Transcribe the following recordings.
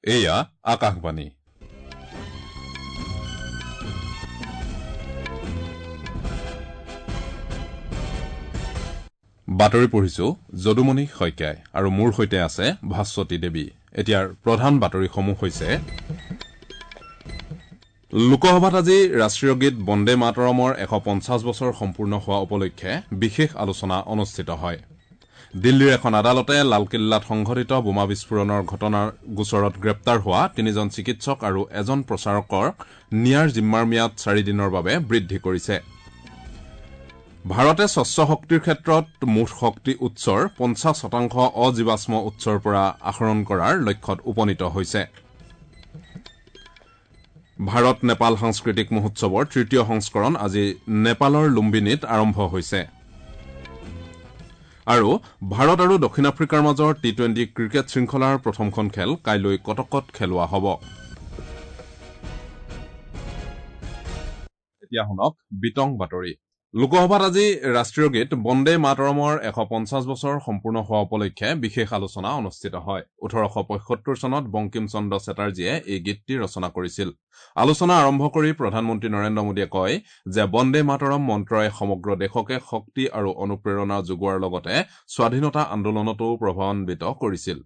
এয়া আকাশবাণী। বাতৰি পঢ়িছো যদুমণি শইকীয়াই আৰু মোৰ সৈতে আছে ভাস্বতী দেৱী। এতিয়াৰ প্ৰধান বাতৰিসমূহ হৈছে: লোকসভাত আজি ৰাষ্ট্ৰীয় গীত বন্দে মাতৰমৰ 150 বছৰ সম্পূৰ্ণ হোৱা উপলক্ষে বিশেষ আলোচনা অনুষ্ঠিত হয়। দিল্লীৰ এখন আদালতে লালকিল্লাত সংঘটিত বোমা বিস্ফোৰণৰ ঘটনাৰ গোচৰত গ্ৰেপ্তাৰ হোৱা তিনিজন চিকিৎসক আৰু এজন প্ৰচাৰকৰ নিয়াৰ জিম্মাৰ ম্যাদ 4 দিনৰ বাবে বৃদ্ধি কৰিছে। ভাৰতে স্বচ্ছ শক্তিৰ ক্ষেত্ৰত মুঠ শক্তি উৎসৰ 50% অজীৱাশ্ম উৎসৰ পৰা আহৰণ কৰাৰ লক্ষ্যত উপনীত হৈছে। ভাৰত নেপাল সাংস্কৃতিক মহোৎসৱৰ তৃতীয় সংস্কৰণ আজি নেপালৰ লুম্বিনীত আৰম্ভ হৈছে। আৰু ভাৰত আৰু দক্ষিণ আফ্ৰিকাৰ মাজৰ টি-20 ক্ৰিকেট শৃংখলাৰ প্ৰথমখন খেল কাইলৈ কটকত খেলোৱা হ'ব। এতিয়া শুনক বিতং বাতৰি। লোকসভাত আজি ৰাষ্ট্ৰীয় গীত বন্দে মাতৰমৰ 150 বছৰ সম্পূৰ্ণ হোৱা উপলক্ষে বিশেষ আলোচনা অনুষ্ঠিত হয়। 1875 চনত বংকিম চন্দ্ৰ চেটাৰ্জীয়ে এই গীতটি ৰচনা কৰিছিল। আলোচনা আৰম্ভ কৰি প্ৰধানমন্ত্ৰী নৰেন্দ্ৰ মোদীয়ে কয় যে বন্দে মাতৰম মন্ত্ৰই সমগ্ৰ দেশকে শক্তি আৰু অনুপ্ৰেৰণা যোগোৱাৰ লগতে স্বাধীনতা আন্দোলনতো প্ৰভাৱান্বিত কৰিছিল।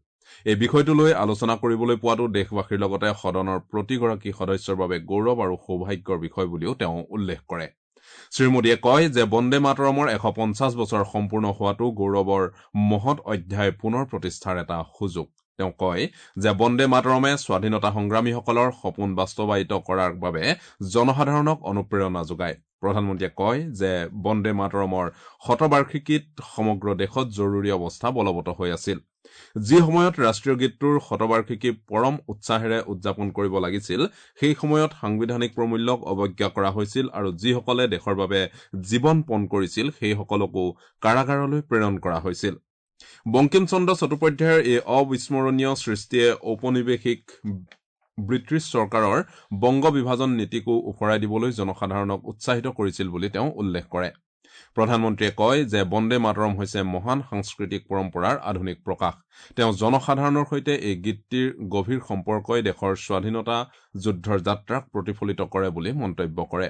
এই বিষয়টো লৈ আলোচনা কৰিবলৈ পোৱাটো দেশবাসীৰ লগতে সদনৰ প্ৰতিগৰাকী সদস্যৰ বাবে গৌৰৱ আৰু সৌভাগ্যৰ বিষয় বুলিও তেওঁ উল্লেখ কৰে। শ্ৰীমোদীয়ে কয় যে বন্দে মাতৰমৰ 150 বছৰ সম্পূৰ্ণ হোৱাটো গৌৰৱৰ মহৎ অধ্যায় পুনৰ প্ৰতিষ্ঠাৰ এটা সুযোগ। তেওঁ কয় যে বন্দে মাতৰমে স্বাধীনতা সংগ্ৰামীসকলৰ সপোন বাস্তৱায়িত কৰাৰ বাবে জনসাধাৰণক অনুপ্ৰেৰণা যোগায়। প্ৰধানমন্ত্ৰীয়ে কয় যে বন্দে মাতৰমৰ শতবাৰ্ষিকীত সমগ্ৰ দেশত জৰুৰী অৱস্থা বলবৎ হৈ আছিল। যি সময়ত ৰাষ্ট্ৰীয় গীতটোৰ শতবাৰ্ষিকী পৰম উৎসাহেৰে উদযাপন কৰিব লাগিছিল, সেই সময়ত সাংবিধানিক প্ৰমূল্যক অৱজ্ঞা কৰা হৈছিল আৰু যিসকলে দেশৰ বাবে জীৱন পণ কৰিছিল সেইসকলকো কাৰাগাৰলৈ প্ৰেৰণ কৰা হৈছিল। বংকিম চন্দ্ৰ চট্টোপাধ্যায়ৰ এই অবিস্মৰণীয় সৃষ্টিয়ে ঔপনিৱেশিক ব্ৰিটিছ চৰকাৰৰ বংগ বিভাজন নীতিকো ওফৰাই দিবলৈ জনসাধাৰণক উৎসাহিত কৰিছিল বুলি তেওঁ উল্লেখ কৰে। প্ৰধানমন্ত্ৰীয়ে কয় যে বন্দে মাতৰম হৈছে মহান সাংস্কৃতিক পৰম্পৰাৰ আধুনিক প্ৰকাশ। তেওঁ জনসাধাৰণৰ সৈতে এই গীতটিৰ গভীৰ সম্পৰ্কই দেশৰ স্বাধীনতা যুদ্ধৰ যাত্ৰাক প্ৰতিফলিত কৰে বুলি মন্তব্য কৰে।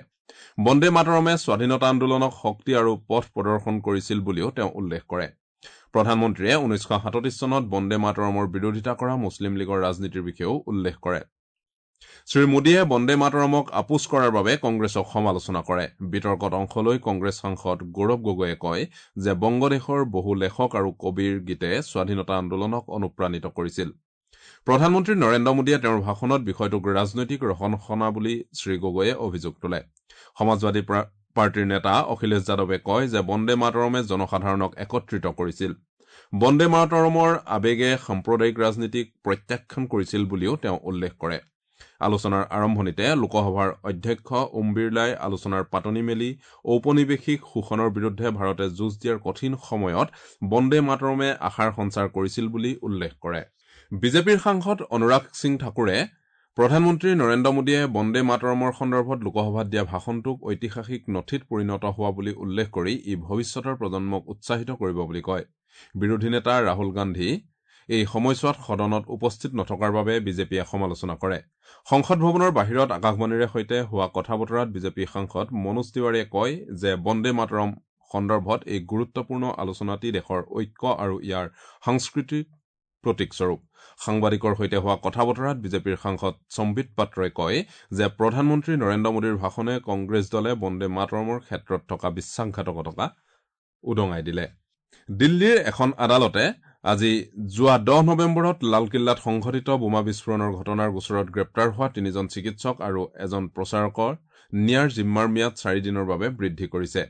বন্দে মাতৰমে স্বাধীনতা আন্দোলনক শক্তি আৰু পথ প্ৰদৰ্শন কৰিছিল বুলিও তেওঁ উল্লেখ কৰে। প্ৰধানমন্ত্ৰীয়ে 1937 চনত বন্দে মাতৰমৰ বিৰোধিতা কৰা মুছলিম লীগৰ ৰাজনীতিৰ বিষয়েও উল্লেখ কৰে। শ্ৰীমোদীয়ে বন্দে মাতৰমক আপোচ কৰাৰ বাবে কংগ্ৰেছক সমালোচনা কৰে। বিতৰ্কত অংশ লৈ কংগ্ৰেছ সাংসদ গৌৰৱ গগৈয়ে কয় যে বংগদেশৰ বহু লেখক আৰু কবিৰ গীতে স্বাধীনতা আন্দোলনক অনুপ্ৰাণিত কৰিছিল। প্ৰধানমন্ত্ৰী নৰেন্দ্ৰ মোদীয়ে তেওঁৰ ভাষণত বিষয়টোক ৰাজনৈতিক ৰহনসনা বুলি শ্ৰীগগৈয়ে অভিযোগ তোলে। সমাজবাদী পাৰ্টীৰ নেতা অখিলেশ যাদৱে কয় যে বন্দে মাতৰমে জনসাধাৰণক একত্ৰিত কৰিছিল। বন্দে মাতৰমৰ আৱেগে সাম্প্ৰদায়িক ৰাজনীতিক প্ৰত্যাখ্যান কৰিছিল বুলিও তেওঁ উল্লেখ কৰে। আলোচনাৰ আৰম্ভণিতে লোকসভাৰ অধ্যক্ষ ওম বিৰলাই আলোচনাৰ পাতনি মেলি ঔপনিৱেশিক শোষণৰ বিৰুদ্ধে ভাৰতে যুঁজ দিয়াৰ কঠিন সময়ত বন্দে মাতৰমে আশাৰ সঞ্চাৰ কৰিছিল বুলি উল্লেখ কৰে। বিজেপিৰ সাংসদ অনুৰাগ সিং ঠাকুৰে প্ৰধানমন্ত্ৰী নৰেন্দ্ৰ মোদীয়ে বন্দে মাতৰমৰ সন্দৰ্ভত লোকসভাত দিয়া ভাষণটোক ঐতিহাসিক নথিত পৰিণত হোৱা বুলি উল্লেখ কৰি ই ভৱিষ্যতৰ প্ৰজন্মক উৎসাহিত কৰিব বুলি কয়। বিৰোধী নেতা ৰাহুল গান্ধী এই সময়ছোৱাত সদনত উপস্থিত নথকাৰ বাবে বিজেপিয়ে সমালোচনা কৰে। সংসদ ভৱনৰ বাহিৰত আকাশবাণীৰে সৈতে হোৱা কথা বতৰাত বিজেপি সাংসদ মনোজ তিৱাৰীয়ে কয় যে বন্দে মাতৰম সন্দৰ্ভত এই গুৰুত্বপূৰ্ণ আলোচনাটি দেশৰ ঐক্য আৰু ইয়াৰ সাংস্কৃতিক প্ৰতীকস্বৰূপ। সাংবাদিকৰ সৈতে হোৱা কথা বতৰাত বিজেপিৰ সাংসদ সম্বিত পাত্ৰই কয় যে প্ৰধানমন্ত্ৰী নৰেন্দ্ৰ মোদীৰ ভাষণে কংগ্ৰেছ দলে বন্দে মাতৰমৰ ক্ষেত্ৰত থকা বিশ্বাসঘাতকতা উদঙাই দিলে। দিল্লীৰ এখন আদালতে আজি যোৱা 10 নৱেম্বৰত লালকিল্লাত সংঘটিত বোমা বিস্ফোৰণৰ ঘটনাৰ গোচৰত গ্ৰেপ্তাৰ হোৱা তিনিজন চিকিৎসক আৰু এজন প্ৰচাৰকৰ নিয়াৰ জিম্মাৰ ম্যাদ 4 দিনৰ বাবে বৃদ্ধি কৰিছে।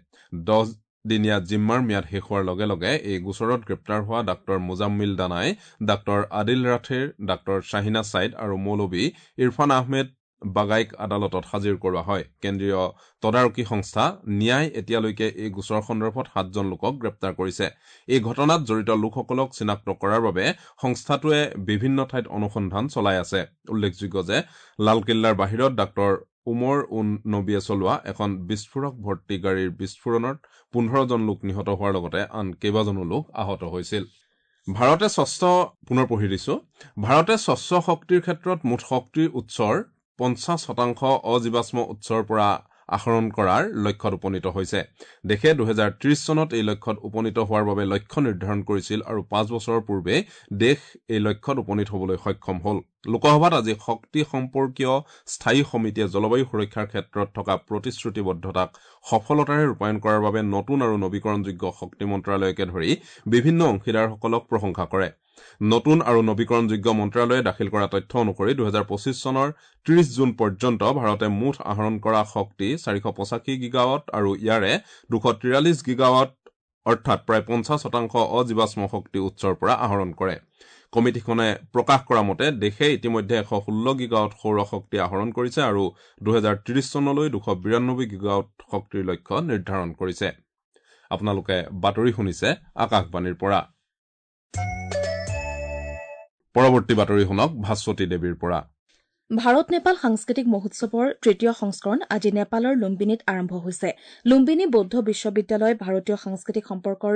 10 দিনীয়া জিম্মাৰ ম্যাদ শেষ হোৱাৰ লগে লগে এই গোচৰত গ্ৰেপ্তাৰ হোৱা ডাঃ মুজাম্মিল দানাই, ডাঃ আদিল ৰাথেৰ, ডাঃ শ্বাহিনা ছাইদ আৰু মৌলবী ইৰফান আহমেদ বাগাইক আদালতত হাজিৰ কৰোৱা হয়। কেন্দ্ৰীয় তদাৰকী সংস্থা ন্যায় এতিয়ালৈকে এই গোচৰ সন্দৰ্ভত 7জন লোকক গ্ৰেপ্তাৰ কৰিছে। এই ঘটনাত জড়িত লোকসকলক চিনাক্ত কৰাৰ বাবে সংস্থাটোৱে বিভিন্ন ঠাইত অনুসন্ধান চলাই আছে। উল্লেখযোগ্য যে লালকিল্লাৰ বাহিৰত ডাঃ উমৰ উন নবীয়ে চলোৱা এখন বিস্ফোৰক ভৰ্তি গাড়ীৰ বিস্ফোৰণত 15 জন লোক নিহত হোৱাৰ লগতে আন কেইবাজনো লোক আহত হৈছিল। ভাৰতে স্বচ্ছ পুনৰ পঢ়ি দিছো। ভাৰতে স্বচ্ছ শক্তিৰ ক্ষেত্ৰত মুঠ শক্তিৰ উৎসৰ 50% অজীৱাশ্ম উৎসৰ পৰা আহৰণ কৰাৰ লক্ষ্যত উপনীত হৈছে। দেশে 2030 চনত এই লক্ষ্যত উপনীত হোৱাৰ বাবে লক্ষ্য নিৰ্ধাৰণ কৰিছিল আৰু 5 বছৰৰ পূৰ্বে দেশ এই লক্ষ্যত উপনীত হ'বলৈ সক্ষম হ'ল। লোকসভাত আজি শক্তি সম্পৰ্কীয় স্থায়ী সমিতিয়ে জলবায়ু সুৰক্ষাৰ ক্ষেত্ৰত থকা প্ৰতিশ্ৰুতিবদ্ধতাক সফলতাৰে ৰূপায়ণ কৰাৰ বাবে নতুন আৰু নবীকৰণযোগ্য শক্তি মন্ত্ৰালয়কে ধৰি বিভিন্ন অংশীদাৰসকলক প্ৰশংসা কৰে। নতুন আৰু নবীকৰণযোগ্য মন্ত্ৰালয়ে দাখিল কৰা তথ্য অনুসৰি 2025 চনৰ 30 জুন পৰ্যন্ত ভাৰতে মুঠ আহৰণ কৰা শক্তি 485 গিগাৱাট আৰু ইয়াৰে 243 গিগাৱাট অৰ্থাৎ প্ৰায় 50% অজীৱাশ্ম শক্তি উৎসৰ পৰা আহৰণ কৰে। কমিটিখনে প্ৰকাশ কৰা মতে দেশে ইতিমধ্যে 116 গিগাৱাট সৌৰ শক্তি আহৰণ কৰিছে আৰু 2030 চনলৈ 292 গিগাৱাট শক্তিৰ লক্ষ্য নিৰ্ধাৰণ কৰিছে। আপোনালোকে বাতৰি শুনিছে আকাশবাণীৰ পৰা। পৰৱৰ্তী বাতৰি শুনক ভাস্বতী দেৱীৰ পৰা। ভাৰত নেপাল সাংস্কৃতিক মহোৎসৱৰ তৃতীয় সংস্কৰণ আজি নেপালৰ লুম্বিনীত আৰম্ভ হৈছে। লুম্বিনী বৌদ্ধ বিশ্ববিদ্যালয়, ভাৰতীয় সাংস্কৃতিক সম্পৰ্কৰ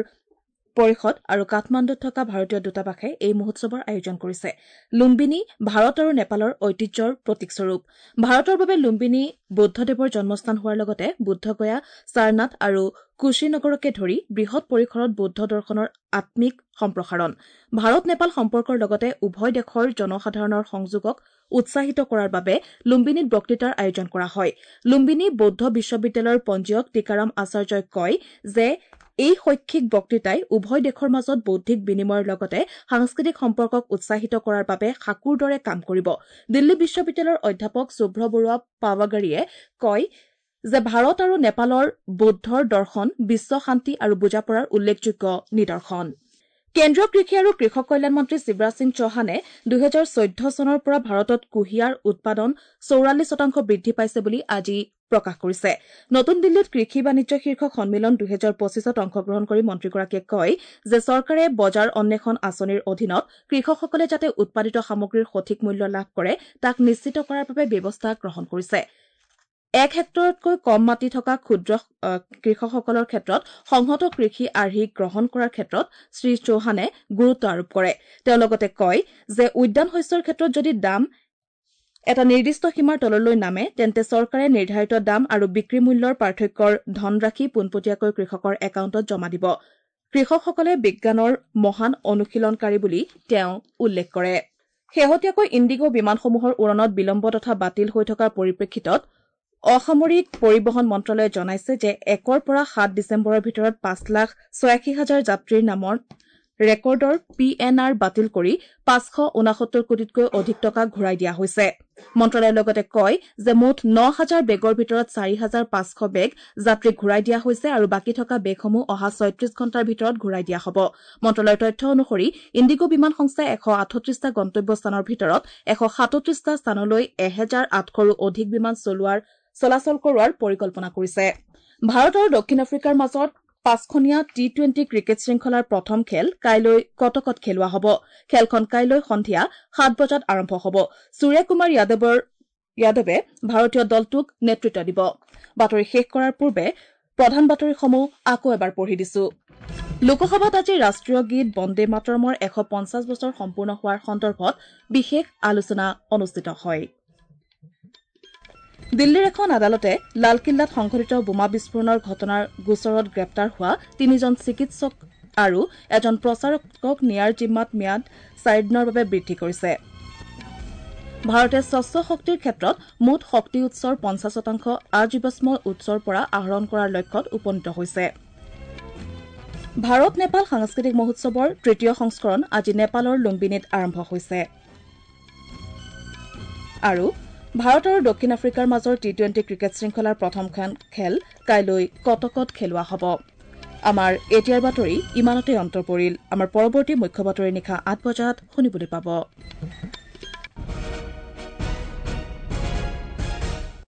পৰিষদ আৰু কাঠমাণ্ডুত থকা ভাৰতীয় দূতাবাসে এই মহোৎসৱৰ আয়োজন কৰিছে। লুম্বিনী ভাৰত আৰু নেপালৰ ঐতিহ্যৰ প্ৰতীকস্বৰূপ। ভাৰতৰ বাবে লুম্বিনী বৌদ্ধদেৱৰ জন্মস্থান হোৱাৰ লগতে বুদ্ধগয়া, সাৰনাথ আৰু কুশীনগৰকে ধৰি বৃহৎ পৰিসৰত বৌদ্ধ দৰ্শনৰ আত্মিক সম্প্ৰসাৰণ। ভাৰত নেপাল সম্পৰ্কৰ লগতে উভয় দেশৰ জনসাধাৰণৰ সংযোগক উৎসাহিত কৰাৰ বাবে লুম্বিনীত বক্তৃতাৰ আয়োজন কৰা হয়। লুম্বিনী বৌদ্ধ বিশ্ববিদ্যালয়ৰ পঞ্জীয়ক টিকাৰাম আচাৰ্যই কয় যে এই শৈক্ষিক বক্তৃতাই উভয় দেশৰ মাজত বৌদ্ধিক বিনিময়ৰ লগতে সাংস্কৃতিক সম্পৰ্কক উৎসাহিত কৰাৰ বাবে সাঁকোৰ দৰে কাম কৰিব। দিল্লী বিশ্ববিদ্যালয়ৰ অধ্যাপক শুভ্ৰ বৰুৱা পাৱাগাৰীয়ে কয় যে ভাৰত আৰু নেপালৰ বৌদ্ধৰ দৰ্শন বিশ্ব শান্তি আৰু বুজাপৰাৰ উল্লেখযোগ্য নিদৰ্শন। কেন্দ্ৰীয় কৃষি আৰু কৃষক কল্যাণ মন্ত্ৰী শিৱৰাজ সিং চৌহানে 2014 চনৰ পৰা ভাৰতত কুঁহিয়াৰ উৎপাদন 44% বৃদ্ধি পাইছে বুলি আজি প্ৰকাশ কৰিছে। নতুন দিল্লীত কৃষি বাণিজ্য শীৰ্ষক সন্মিলন 2025ত অংশগ্ৰহণ কৰি মন্ত্ৰীগৰাকীয়ে কয় যে চৰকাৰে বজাৰ অন্বেষণ আঁচনিৰ অধীনত কৃষকসকলে যাতে উৎপাদিত সামগ্ৰীৰ সঠিক মূল্য লাভ কৰে তাক নিশ্চিত কৰাৰ বাবে ব্যৱস্থা গ্ৰহণ কৰিছে। 1 হেক্টৰতকৈ কম মাটি থকা ক্ষুদ্ৰ কৃষকসকলৰ ক্ষেত্ৰত সংহত কৃষি আৰ্হি গ্ৰহণ কৰাৰ ক্ষেত্ৰত শ্ৰী চৌহানে গুৰুত্ব আৰোপ কৰে। তেওঁ লগতে কয় যে উদ্যান শস্যৰ ক্ষেত্ৰত যদি দাম এটা নিৰ্দিষ্ট সীমাৰ তললৈ নামে তেন্তে চৰকাৰে নিৰ্ধাৰিত দাম আৰু বিক্ৰী মূল্যৰ পাৰ্থক্যৰ ধনৰাশি পোনপটীয়াকৈ কৃষকৰ একাউণ্টত জমা দিব। কৃষকসকলে বিজ্ঞানৰ মহান অনুশীলনকাৰী বুলি তেওঁ উল্লেখ কৰে। শেহতীয়াকৈ ইণ্ডিগো বিমানসমূহৰ উৰণত বিলম্ব তথা বাতিল হৈ থকাৰ পৰিপ্ৰেক্ষিতত অসামৰিক পৰিবহণ মন্ত্ৰালয়ে জনাইছে যে 1ৰ পৰা 7 ডিচেম্বৰৰ ভিতৰত 5,86,000 যাত্ৰীৰ নামৰ ৰেকৰ্ডৰ পি এন আৰ বাতিল কৰি 569 কোটিতকৈ অধিক টকা ঘূৰাই দিয়া হৈছে। মন্ত্ৰালয়ে লগতে কয় যে মুঠ 9,000 বেগৰ ভিতৰত 4,500 বেগ যাত্ৰীক ঘূৰাই দিয়া হৈছে আৰু বাকী থকা বেগসমূহ অহা 36 ঘণ্টাৰ ভিতৰত ঘূৰাই দিয়া হ'ব। মন্ত্ৰালয়ৰ তথ্য অনুসৰি ইণ্ডিগো বিমান সংস্থাই 138টা গন্তব্য স্থানৰ ভিতৰত 137টা স্থানলৈ 1,800ৰো অধিক বিমান চলাচল কৰোৱাৰ পৰিকল্পনা কৰিছে। ভাৰত আৰু দক্ষিণ আফ্ৰিকাৰ মাজত 5খনীয়া টি-20 ক্ৰিকেট শৃংখলাৰ প্ৰথম খেল কাইলৈ কটকত খেলোৱা হ'ব। খেলখন কাইলৈ সন্ধিয়া 7 বজাত আৰম্ভ হ'ব। সূৰ্যকুমাৰ যাদৱে ভাৰতীয় দলটোক নেতৃত্ব দিব। বাতৰি শেষ কৰাৰ পূৰ্বে প্ৰধান বাতৰিসমূহ আকৌ এবাৰ পঢ়ি দিছো। লোকসভাত আজি ৰাষ্ট্ৰীয় গীত বন্দে মাতৰমৰ 150 বছৰ সম্পূৰ্ণ হোৱাৰ সন্দৰ্ভত বিশেষ আলোচনা অনুষ্ঠিত হয়। দিল্লীৰ এখন আদালতে লালকিল্লাত সংঘটিত বোমা বিস্ফোৰণৰ ঘটনাৰ গোচৰত গ্ৰেপ্তাৰ হোৱা 3জন চিকিৎসক আৰু এজন প্ৰচাৰকক নিয়াৰ জিম্মাত ম্যাদ 4 দিনৰ বাবে বৃদ্ধি কৰিছে। ভাৰতে স্বচ্ছ শক্তিৰ ক্ষেত্ৰত মুঠ শক্তি উৎসৰ 50% আজীৱাশ্ম উৎসৰ পৰা আহৰণ কৰাৰ লক্ষ্যত উপনীত হৈছে। ভাৰত নেপাল সাংস্কৃতিক মহোৎসৱৰ তৃতীয় সংস্কৰণ আজি নেপালৰ লুম্বিনীত আৰম্ভ হৈছে। আৰু ভাৰত আৰু দক্ষিণ আফ্ৰিকাৰ মাজৰ টি-20 ক্ৰিকেট শৃংখলাৰ প্ৰথমখন খেল কাইলৈ কটকত খেলোৱা হ'ব। আমাৰ এতিয়াৰ বাতৰি ইমানতে অন্ত পৰিল। আমাৰ পৰৱৰ্তী মুখ্য বাতৰি নিশা ৮ বজাত শুনিবলৈ পাব।